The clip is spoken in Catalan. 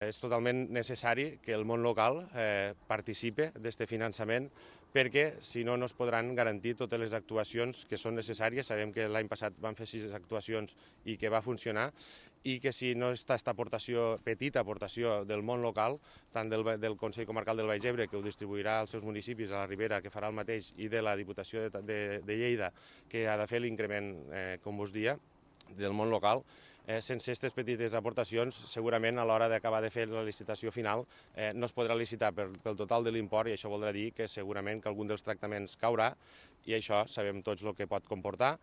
És totalment necessari que el món local participe d'aquest finançament perquè si no, no es podran garantir totes les actuacions que són necessàries. Sabem que l'any passat van fer 6 actuacions i que va funcionar i que si no està aquesta aportació, petita aportació del món local, tant del Consell Comarcal del Baix Ebre, que ho distribuirà als seus municipis, a la Ribera, que farà el mateix, i de la Diputació de Lleida, que ha de fer l'increment, com us dia, del món local, sense aquestes petites aportacions, segurament a l'hora d'acabar de fer la licitació final no es podrà licitar pel total de l'import i això voldrà dir que segurament que algun dels tractaments caurà i això sabem tots el que pot comportar